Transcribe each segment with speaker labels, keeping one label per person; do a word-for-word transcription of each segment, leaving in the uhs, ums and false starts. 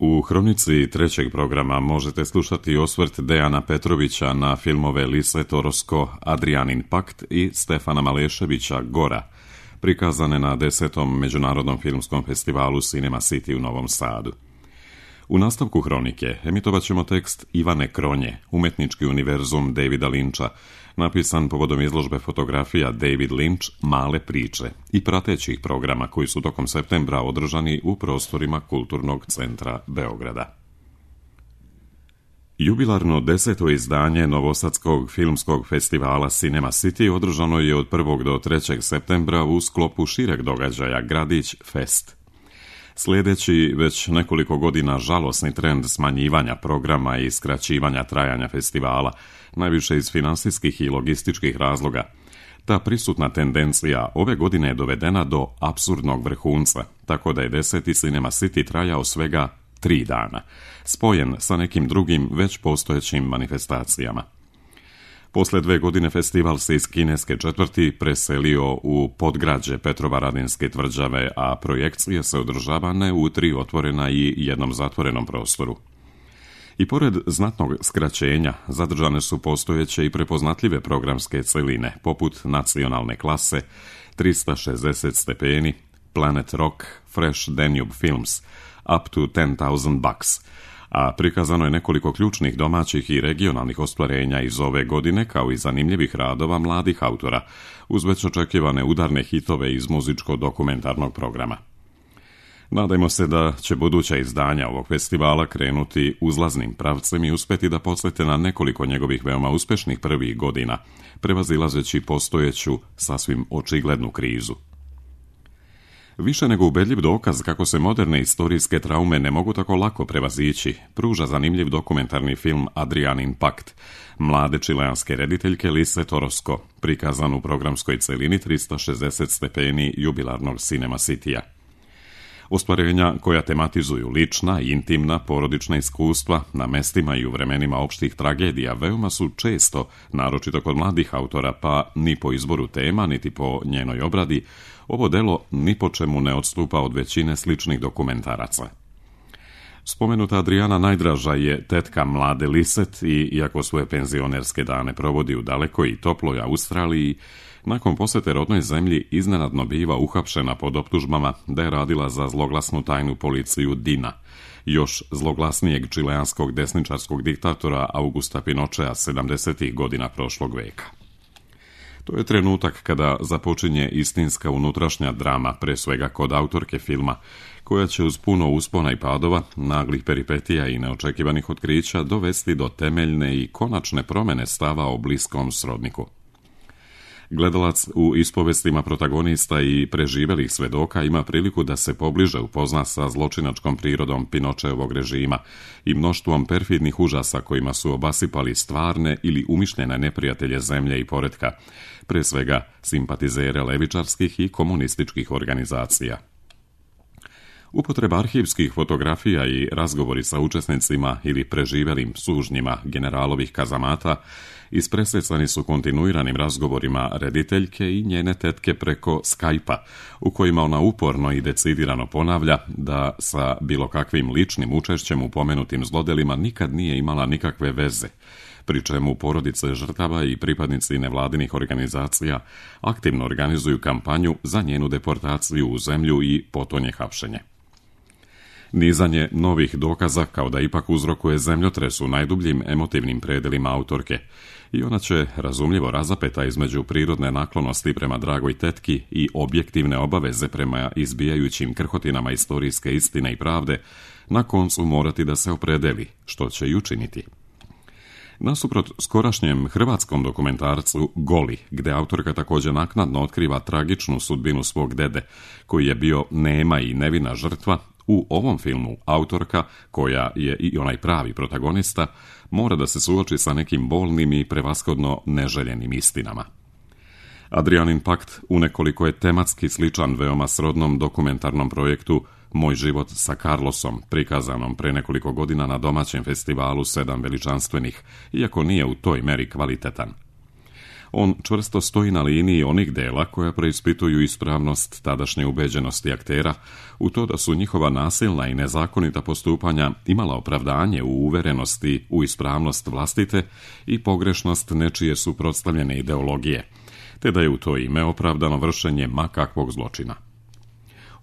Speaker 1: U hronici trećeg programa možete slušati osvrt Dejana Petrovića na filmove Lise Torosko, Adrianin pakt i Stefana Maleševića Gora, prikazane na desetom Međunarodnom filmskom festivalu Cinema City u Novom Sadu. U nastavku hronike emitovat ćemo tekst Ivane Kronje, umetnički univerzum Davida Lyncha, napisan povodom izložbe fotografija David Lynch Male priče i pratećih programa koji su tokom septembra održani u prostorima Kulturnog centra Beograda. Jubilarno deseto izdanje Novosadskog filmskog festivala Cinema City održano je od prvog do trećeg septembra u sklopu šireg događaja Gradić Fest. Sljedeći već nekoliko godina žalosni trend smanjivanja programa i skraćivanja trajanja festivala, najviše iz finansijskih i logističkih razloga, ta prisutna tendencija ove godine je dovedena do apsurdnog vrhunca, tako da je deseti Cinema City trajao svega tri dana, spojen sa nekim drugim već postojećim manifestacijama. Posle dve godine festival se iz kineske četvrti preselio u podgrađe Petrovaradinske tvrđave, a projekcije se održavane u tri otvorena i jednom zatvorenom prostoru. I pored znatnog skraćenja, zadržane su postojeće i prepoznatljive programske celine, poput Nacionalne klase, trista šezdeset stepeni, Planet Rock, Fresh Danube Films, Up to ten thousand bucks, a prikazano je nekoliko ključnih domaćih i regionalnih ostvarenja iz ove godine, kao i zanimljivih radova mladih autora, uz već očekivane udarne hitove iz muzičko-dokumentarnog programa. Nadajmo se da će buduća izdanja ovog festivala krenuti uzlaznim pravcem i uspeti da podsjete na nekoliko njegovih veoma uspešnih prvih godina, prevazilazeći postojeću sasvim očiglednu krizu. Više nego ubedljiv dokaz kako se moderne istorijske traume ne mogu tako lako prevazići, pruža zanimljiv dokumentarni film Adrianin pakt, mlade čileanske rediteljke Lise Torosko, prikazan u programskoj celini trista šezdeset stepeni jubilarnog Cinema City-a. Ostvarenja koja tematizuju lična i intimna porodična iskustva na mestima i u vremenima opštih tragedija veoma su često, naročito kod mladih autora, pa ni po izboru tema, niti po njenoj obradi, ovo delo ni po čemu ne odstupa od većine sličnih dokumentaraca. Spomenuta Adriana najdraža je tetka mlade Liset i, iako svoje penzionerske dane provodi u dalekoj i toploj Australiji, nakon posete rodnoj zemlji iznenadno biva uhapšena pod optužbama da je radila za zloglasnu tajnu policiju Dina, još zloglasnijeg čileanskog desničarskog diktatora Augusta Pinochea sedamdesetih godina prošlog veka. To je trenutak kada započinje istinska unutrašnja drama, pre svega kod autorke filma, koja će uz puno uspona i padova, naglih peripetija i neočekivanih otkrića dovesti do temeljne i konačne promene stava o bliskom srodniku. Gledalac u ispovestima protagonista i preživelih svedoka ima priliku da se pobliže upozna sa zločinačkom prirodom Pinočeovog režima i mnoštvom perfidnih užasa kojima su obasipali stvarne ili umišljene neprijatelje zemlje i poretka, pre svega simpatizere levičarskih i komunističkih organizacija. Upotreba arhivskih fotografija i razgovori sa učesnicima ili preživelim sužnjima generalovih kazamata ispresecani su kontinuiranim razgovorima rediteljke i njene tetke preko Skype-a, u kojima ona uporno i decidirano ponavlja da sa bilo kakvim ličnim učešćem u pomenutim zlodelima nikad nije imala nikakve veze, pri čemu porodice žrtava i pripadnici nevladinih organizacija aktivno organizuju kampanju za njenu deportaciju u zemlju i potonje hapšenje. Nizanje novih dokaza kao da ipak uzrokuje zemljotres u najdubljim emotivnim predelima autorke i ona će, razumljivo razapeta između prirodne naklonosti prema dragoj tetki i objektivne obaveze prema izbijajućim krhotinama istorijske istine i pravde, na koncu morati da se opredeli, što će i učiniti. Nasuprot skorašnjem hrvatskom dokumentarcu Goli, gde autorka također naknadno otkriva tragičnu sudbinu svog dede, koji je bio nema i nevina žrtva, u ovom filmu autorka, koja je i onaj pravi protagonista, mora da se suoči sa nekim bolnim i prevashodno neželjenim istinama. Adrianin pakt unekoliko je tematski sličan veoma srodnom dokumentarnom projektu Moj život sa Carlosom, prikazanom pre nekoliko godina na domaćem festivalu Sedam veličanstvenih, iako nije u toj meri kvalitetan. On čvrsto stoji na liniji onih dela koja preispituju ispravnost tadašnje ubeđenosti aktera u to da su njihova nasilna i nezakonita postupanja imala opravdanje u uverenosti u ispravnost vlastite i pogrešnost nečije suprotstavljene ideologije, te da je u to ime opravdano vršenje ma kakvog zločina.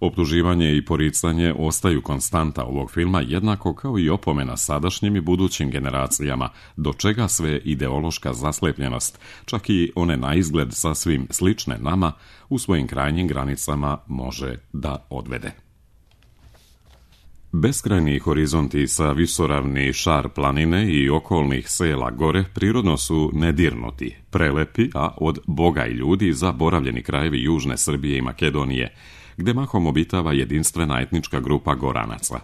Speaker 1: Optuživanje i poricanje ostaju konstanta ovog filma, jednako kao i opomena sadašnjim i budućim generacijama, do čega sve ideološka zaslepljenost, čak i one na izgled sasvim slične nama, u svojim krajnjim granicama može da odvede. Beskrajni horizonti sa visoravni šar planine i okolnih sela gore prirodno su nedirnuti, prelepi, a od Boga i ljudi zaboravljeni krajevi južne Srbije i Makedonije, gde mahom obitava jedinstvena etnička grupa Goranaca.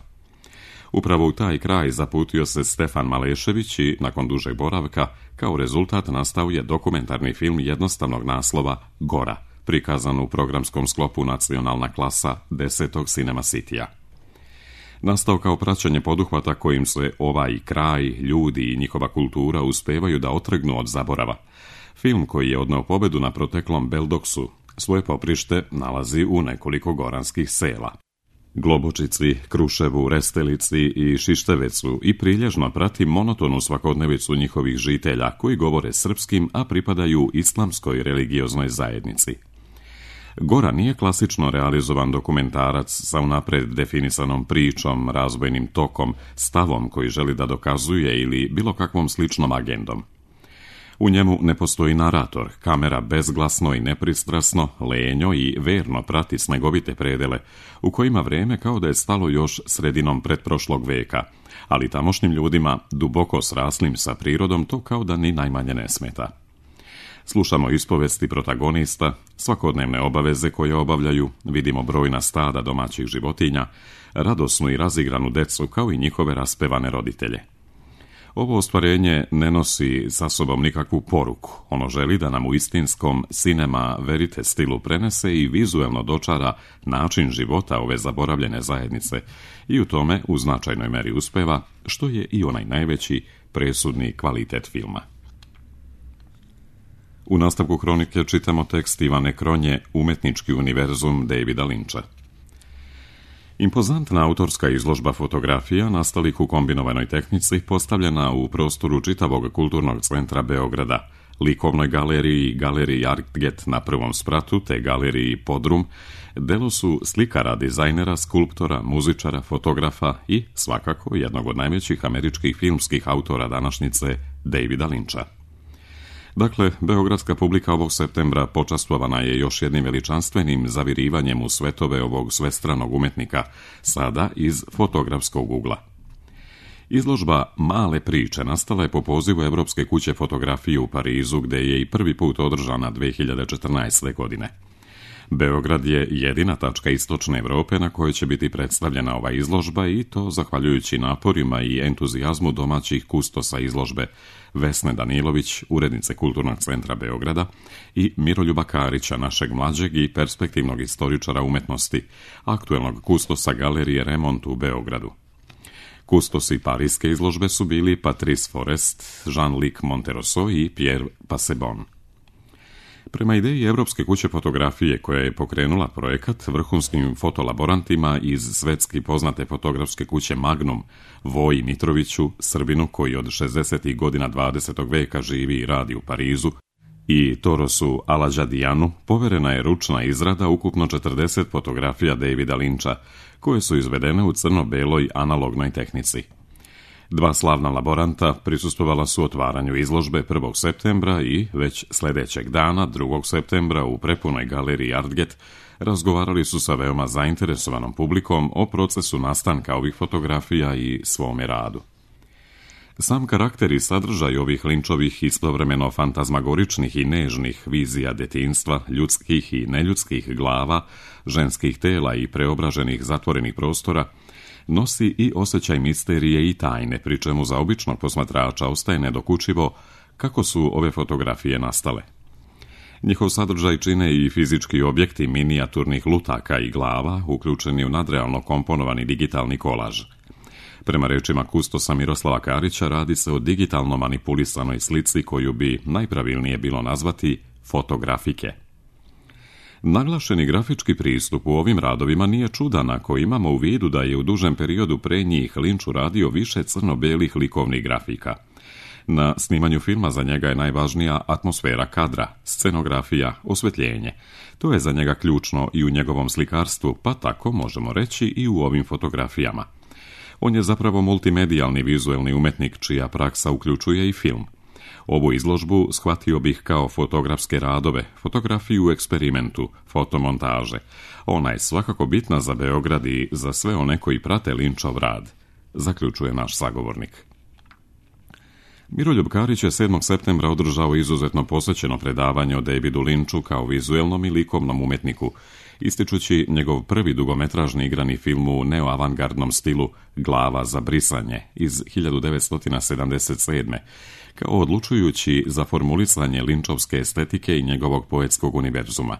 Speaker 1: Upravo u taj kraj zaputio se Stefan Malešević i, nakon dužeg boravka, kao rezultat nastao je dokumentarni film jednostavnog naslova Gora, prikazan u programskom sklopu Nacionalna klasa desetog Cinema Citya. Nastao kao praćenje poduhvata kojim se ovaj kraj, ljudi i njihova kultura uspevaju da otrgnu od zaborava. Film koji je odneo pobedu na proteklom Beldoksu svoje poprište nalazi u nekoliko goranskih sela. Globočici, Kruševu, Restelici i Šištevecu i prilježno prati monotonu svakodnevicu njihovih žitelja koji govore srpskim, a pripadaju islamskoj religioznoj zajednici. Gora nije klasično realizovan dokumentarac sa unapred definisanom pričom, razvojnim tokom, stavom koji želi da dokazuje ili bilo kakvom sličnom agendom. U njemu ne postoji narator, kamera bezglasno i nepristrasno, lenjo i verno prati snegovite predele, u kojima vreme kao da je stalo još sredinom pretprošlog veka, ali tamošnjim ljudima, duboko sraslim sa prirodom, to kao da ni najmanje ne smeta. Slušamo ispovesti protagonista, svakodnevne obaveze koje obavljaju, vidimo brojna stada domaćih životinja, radosnu i razigranu decu kao i njihove raspevane roditelje. Ovo ostvarenje ne nosi sa sobom nikakvu poruku. Ono želi da nam u istinskom cinema verite stilu prenese i vizuelno dočara način života ove zaboravljene zajednice i u tome u značajnoj meri uspeva, što je i onaj najveći presudni kvalitet filma. U nastavku hronike čitamo tekst Ivane Kronje Umetnički univerzum Davida Lyncha. Impozantna autorska izložba fotografija nastalih u kombinovanoj tehnici postavljena u prostoru čitavog kulturnog centra Beograda, likovnoj galeriji, galeriji Artget na prvom spratu te galeriji Podrum, delo su slikara, dizajnera, skulptora, muzičara, fotografa i, svakako, jednog od najvećih američkih filmskih autora današnjice, Davida Lyncha. Dakle, beogradska publika ovog septembra počastvovana je još jednim veličanstvenim zavirivanjem u svetove ovog svestranog umetnika, sada iz fotografskog ugla. Izložba Male priče nastala je po pozivu Evropske kuće fotografije u Parizu, gde je i prvi put održana dve hiljade četrnaeste. godine. Beograd je jedina tačka istočne Evrope na kojoj će biti predstavljena ova izložba i to zahvaljujući naporima i entuzijazmu domaćih kustosa izložbe Vesne Danilović, urednice Kulturnog centra Beograda, i Miroljuba Karića, našeg mlađeg i perspektivnog istoričara umetnosti, aktuelnog kustosa galerije Remont u Beogradu. Kustosi parijske izložbe su bili Patrice Forest, Jean-Luc Monterosso i Pierre Passebon. Prema ideji Evropske kuće fotografije koja je pokrenula projekat vrhunskim fotolaborantima iz svetski poznate fotografske kuće Magnum, Voji Mitroviću, Srbinu koji od šezdesetih godina dvadesetog veka živi i radi u Parizu, i Torosu Aladžadijanu, poverena je ručna izrada ukupno četrdeset fotografija Davida Lyncha, koje su izvedene u crno-beloj analognoj tehnici. Dva slavna laboranta prisustvovala su otvaranju izložbe prvog septembra i već sledećeg dana, drugog septembra, u prepunoj galeriji Artget, razgovarali su sa veoma zainteresovanom publikom o procesu nastanka ovih fotografija i svome radu. Sam karakter i sadržaj ovih Lynchovih istovremeno fantazmagoričnih i nežnih vizija detinjstva, ljudskih i neljudskih glava, ženskih tela i preobraženih zatvorenih prostora, nosi i osjećaj misterije i tajne, pri čemu za običnog posmatrača ostaje nedokučivo kako su ove fotografije nastale. Njihov sadržaj čine i fizički objekti minijaturnih lutaka i glava, uključeni u nadrealno komponovani digitalni kolaž. Prema rečima kustosa Miroslava Karića, radi se o digitalno manipulisanoj slici koju bi najpravilnije bilo nazvati fotografike. Naglašeni grafički pristup u ovim radovima nije čudan ako imamo u vidu da je u dužem periodu pre njih Lynch uradio više crno-belih likovnih grafika. Na snimanju filma za njega je najvažnija atmosfera kadra, scenografija, osvetljenje. To je za njega ključno i u njegovom slikarstvu, pa tako možemo reći i u ovim fotografijama. On je zapravo multimedijalni vizuelni umetnik čija praksa uključuje i film. Ovu izložbu shvatio bih kao fotografske radove, fotografiju u eksperimentu, fotomontaže. Ona je svakako bitna za Beograd i za sve one koji prate Lynchov rad, zaključuje naš sagovornik. Miroljub Karić je sedmog septembra održao izuzetno posvećeno predavanje o Davidu Lynchu kao vizuelnom i likovnom umetniku, ističući njegov prvi dugometražni igrani film u neoavangardnom stilu Glava za brisanje iz hiljadu devetsto sedamdeset sedme kao odlučujući za formulisanje Lynchovske estetike i njegovog poetskog univerzuma.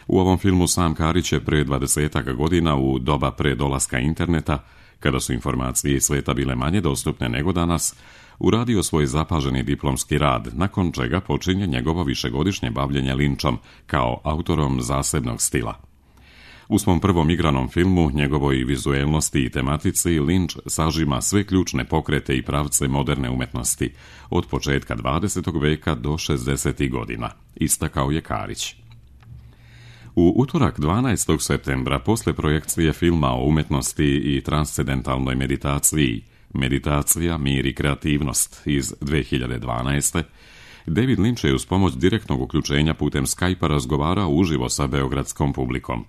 Speaker 1: U ovom filmu sam Karić je pre dvadesetak godina, u doba pre dolaska interneta, kada su informacije iz sveta bile manje dostupne nego danas, uradio svoj zapaženi diplomski rad, nakon čega počinje njegovo višegodišnje bavljenje Lynchom kao autorom zasebnog stila. U svom prvom igranom filmu, njegovoj vizuelnosti i tematici, Lynch sažima sve ključne pokrete i pravce moderne umetnosti, od početka dvadesetog veka do šezdesetih godina, istakao je Karić. U utorak dvanaestog septembra, posle projekcije filma o umetnosti i transcendentalnoj meditaciji Meditacija, mir i kreativnost iz dve hiljade dvanaeste. David Lynch je uz pomoć direktnog uključenja putem Skype-a razgovarao uživo sa beogradskom publikom.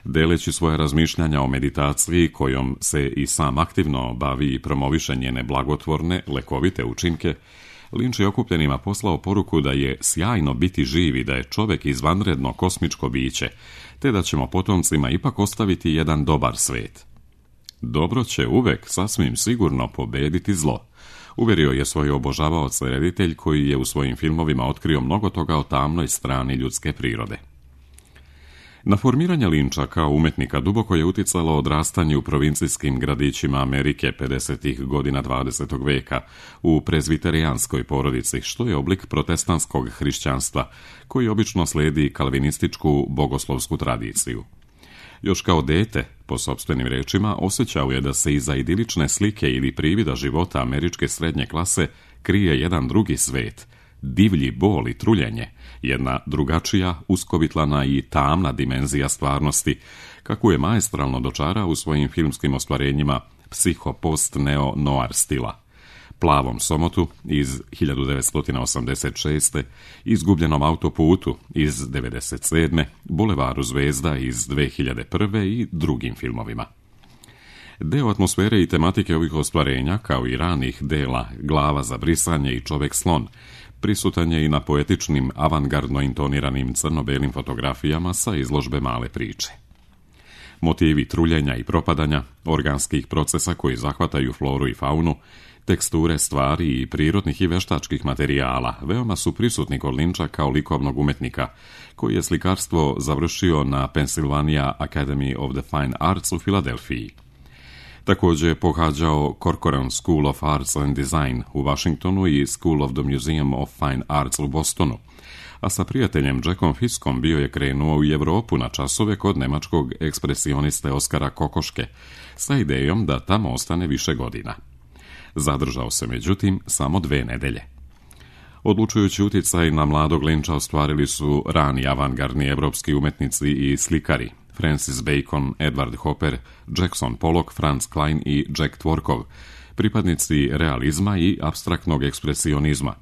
Speaker 1: Deleći svoje razmišljanja o meditaciji, kojom se i sam aktivno bavi i promoviše njene blagotvorne, lekovite učinke, Lynch je okupljenima poslao poruku da je sjajno biti živ i da je čovek izvanredno kosmičko biće, te da ćemo potomcima ipak ostaviti jedan dobar svet. Dobro će uvek sasvim sigurno pobediti zlo, uverio je svoj obožavaoc reditelj koji je u svojim filmovima otkrio mnogo toga o tamnoj strani ljudske prirode. Na formiranje Lyncha kao umetnika duboko je uticalo odrastanje u provincijskim gradićima Amerike pedesetih godina dvadesetog veka u prezviterijanskoj porodici, što je oblik protestantskog hrišćanstva koji obično sledi kalvinističku bogoslovsku tradiciju. Još kao dete, po sopstvenim rečima, osjećao je da se iza idilične slike ili privida života američke srednje klase krije jedan drugi svet, divlji bol i truljenje, jedna drugačija, uskovitlana i tamna dimenzija stvarnosti, kako je maestralno dočarao u svojim filmskim ostvarenjima psiho-post-neo-noir stila. Plavom somotu iz hiljadu devetsto osamdeset šeste, Izgubljenom autoputu iz devedeset sedme, Bulevaru zvezda iz dve hiljade prve i drugim filmovima. Deo atmosfere i tematike ovih ostvarenja, kao i ranih dela Glava za brisanje i Čovek slon, prisutan je i na poetičnim, avangardno intoniranim crno-belim fotografijama sa izložbe Male priče. Motivi truljenja i propadanja, organskih procesa koji zahvataju floru i faunu, teksture stvari i prirodnih i veštačkih materijala veoma su prisutni kod Lyncha kao likovnog umetnika, koji je slikarstvo završio na Pennsylvania Academy of the Fine Arts u Filadelfiji. Također je pohađao Corcoran School of Arts and Design u Washingtonu i School of the Museum of Fine Arts u Bostonu, a sa prijateljem Jackom Fiskom bio je krenuo u Evropu na časove kod nemačkog ekspresioniste Oskara Kokoške, sa idejom da tamo ostane više godina. Zadržao se, međutim, samo dve nedelje. Odlučujući uticaj na mladog Lyncha ostvarili su rani avangardni evropski umetnici i slikari Francis Bacon, Edward Hopper, Jackson Pollock, Franz Klein i Jack Tworkov, pripadnici realizma i apstraktnog ekspresionizma,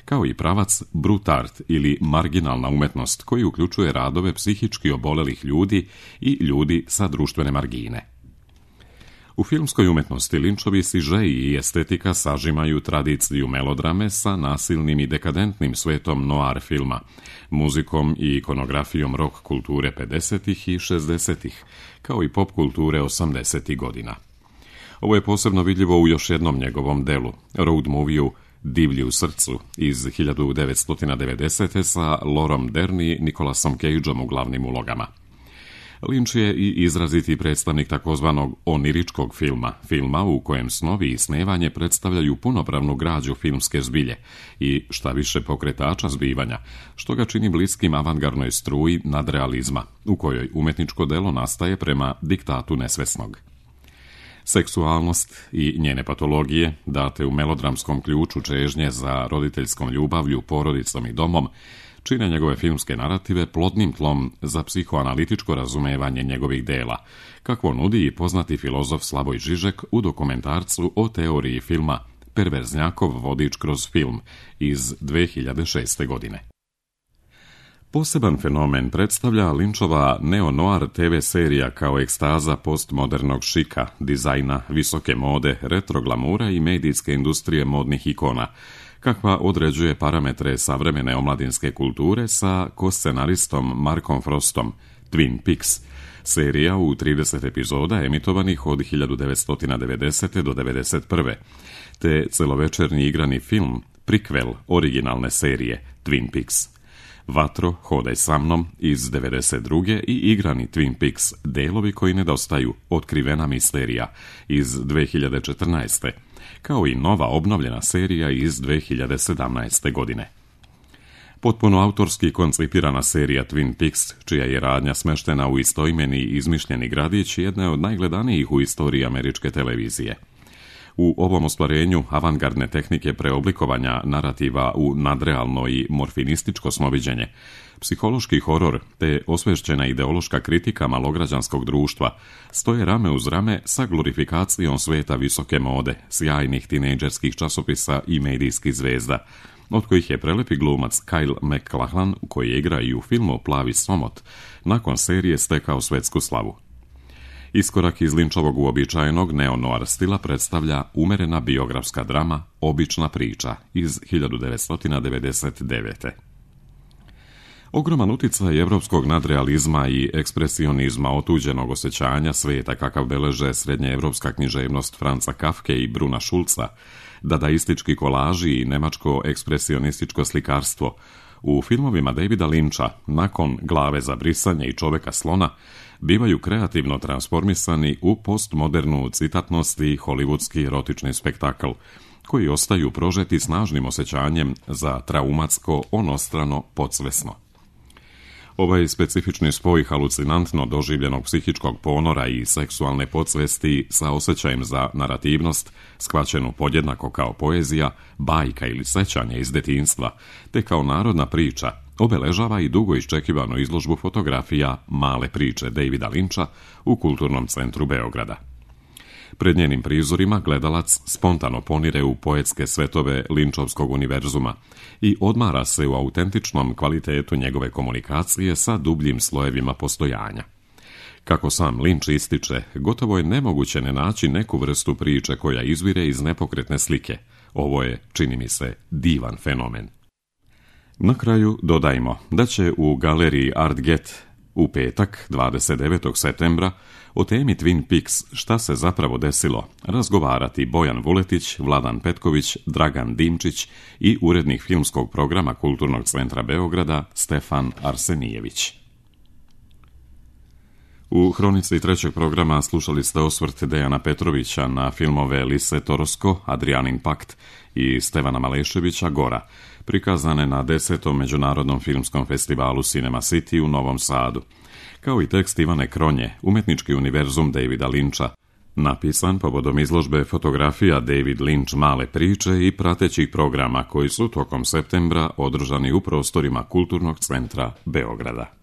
Speaker 1: kao i pravac brut art ili marginalna umetnost koji uključuje radove psihički obolelih ljudi i ljudi sa društvene margine. U filmskoj umetnosti Lynchovi sižeji i estetika sažimaju tradiciju melodrame sa nasilnim i dekadentnim svetom noir filma, muzikom i ikonografijom rock kulture pedesetih i šezdesetih, kao i pop kulture osamdesetih godina. Ovo je posebno vidljivo u još jednom njegovom delu, road moviju Divlji u srcu iz hiljadu devetsto devedesete. sa Laurom Dern i Nicolasom Cageom u glavnim ulogama. Lynch je i izraziti predstavnik takozvanog oniričkog filma, filma u kojem snovi i snevanje predstavljaju punopravnu građu filmske zbilje i šta više pokretača zbivanja, što ga čini bliskim avangardnoj struji nadrealizma, u kojoj umetničko delo nastaje prema diktatu nesvesnog. Seksualnost i njene patologije, date u melodramskom ključu čežnje za roditeljskom ljubavlju, porodicom i domom, čine njegove filmske narative plodnim tlom za psihoanalitičko razumevanje njegovih dela, kakvo nudi i poznati filozof Slavoj Žižek u dokumentarcu o teoriji filma Perverznjakov vodič kroz film iz dve hiljade šeste. godine. Poseban fenomen predstavlja Lynchova neo-noir te ve serija kao ekstaza postmodernog šika, dizajna, visoke mode, retro glamura i medijske industrije modnih ikona, kakva određuje parametre savremene omladinske kulture sa ko-scenaristom Markom Frostom, Twin Peaks, serija u trideset epizoda emitovanih od hiljadu devetsto devedesete. do devedeset prve. te celovečernji igrani film, prikvel originalne serije Twin Peaks. Vatro, hodaj sa mnom iz devedeset druge. i igrani Twin Peaks, delovi koji nedostaju, otkrivena misterija iz dve hiljade četrnaeste. kao i nova obnovljena serija iz dve hiljade sedamnaeste. godine. Potpuno autorski koncipirana serija Twin Peaks, čija je radnja smeštena u istoimeni izmišljeni gradić, jedna je od najgledanijih u istoriji američke televizije. U ovom ostvarenju avangardne tehnike preoblikovanja narativa u nadrealno i morfinističko snoviđenje, psihološki horor te osvešćena ideološka kritika malograđanskog društva stoje rame uz rame sa glorifikacijom sveta visoke mode, sjajnih tinejdžerskih časopisa i medijskih zvezda, od kojih je prelepi glumac Kyle MacLachlan, koji igra i u filmu Plavi somot, nakon serije stekao svetsku slavu. Iskorak iz Lynchovog uobičajenog neo-noir stila predstavlja umerena biografska drama Obična priča iz hiljadu devetsto devedeset devete. Ogroman uticaj evropskog nadrealizma i ekspresionizma otuđenog osjećanja sveta kakav beleže srednjeevropska književnost Franca Kafke i Bruna Schulza, dadaistički kolaži i nemačko ekspresionističko slikarstvo u filmovima Davida Lyncha nakon Glave za brisanje i Čoveka slona bivaju kreativno transformisani u postmodernu citatnost i hollywoodski erotični spektakl, koji ostaju prožeti snažnim osjećanjem za traumatsko, onostrano, podsvesno. Ovaj specifični spoj halucinantno doživljenog psihičkog ponora i seksualne podsvesti sa osjećajem za narativnost, shvaćenu podjednako kao poezija, bajka ili sećanje iz detinjstva, te kao narodna priča, obeležava i dugo iščekivanu izložbu fotografija Male priče Davida Lyncha u Kulturnom centru Beograda. Pred njenim prizorima gledalac spontano ponire u poetske svetove Lynchovskog univerzuma i odmara se u autentičnom kvalitetu njegove komunikacije sa dubljim slojevima postojanja. Kako sam Lynch ističe, gotovo je nemoguće ne naći neku vrstu priče koja izvire iz nepokretne slike. Ovo je, čini mi se, divan fenomen. Na kraju dodajmo da će u galeriji Art Get u petak, dvadeset devetog septembra, o temi Twin Peaks Šta se zapravo desilo razgovarati Bojan Vuletić, Vladan Petković, Dragan Dimčić i urednik filmskog programa Kulturnog centra Beograda Stefan Arsenijević. U hronici trećeg programa slušali ste osvrt Dejana Petrovića na filmove Lise Torosko, Adrianin pakt i Stevana Maleševića Gora, prikazane na desetom Međunarodnom filmskom festivalu Cinema City u Novom Sadu, kao i tekst Ivane Kronje, Umetnički univerzum Davida Lyncha, napisan povodom izložbe fotografija David Lynch Male priče i pratećih programa koji su tokom septembra održani u prostorima Kulturnog centra Beograda.